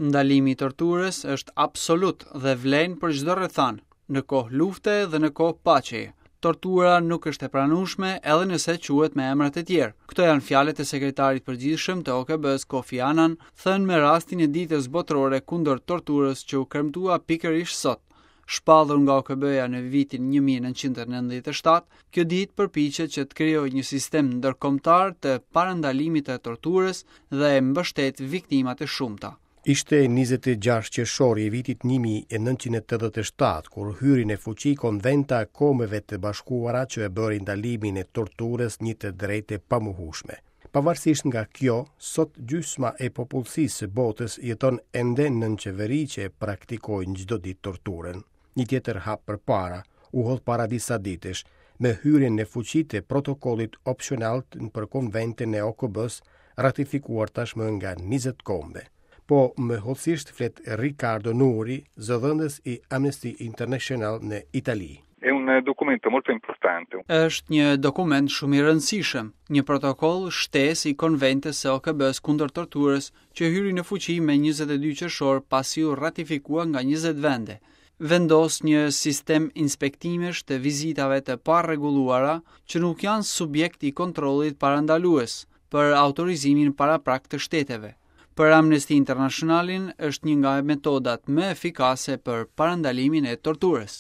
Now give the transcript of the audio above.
Ndalimi i torturës është absolut dhe vlen për çdo rrethanë, në kohë lufte dhe në kohë paqeje. Tortura nuk është e pranueshme edhe nëse quhet me emra të tjerë. Këto janë fjalët e sekretarit të përgjithshëm të OKB-së Kofi Annan, thënë me rastin e Ditës Botërore kundër Torturës që u kremtua pikërisht sot. Shpallur nga OKB-ja në vitin 1997, kjo ditë përpiqet që të krijojë një sistem ndërkombëtar të parandalimit të torturës dhe mbështet viktimat e shumta. Ishte 26 qershori i vitit 1987, kur hyri në fuqi Konventa e Kombeve të Bashkuara që e bëri ndalimin e torturës një të drejtë të pamohueshme. Pavarësisht nga kjo, sot gjysma e popullsisë së botës jeton ende nën qeveri që e praktikojnë çdo ditë torturën. Një tjetër hap përpara u hodh para disa ditësh, me hyrjen në fuqi të protokollit opsional për Konventën e OKB-së, ratifikuar tashmë nga 20 kombe. Po më hollësisht flet Riccardo Noury, zëdhënës i Amnesty International në Itali. È un documento molto importante. Është një dokument shumë i rëndësishëm, një protokoll shtesë i Konventës së OKB-së kundër torturës që hyri në fuqi me 22 qershor pasi u ratifikua nga 20 vende. Vendos një sistem inspektimesh të vizitave të parregulluara që nuk janë subjekt i kontrollit parandalues për autorizimin paraprak të shteteve. Për Amnesty Internationalin është një nga metodat më efikase për parandalimin e torturës.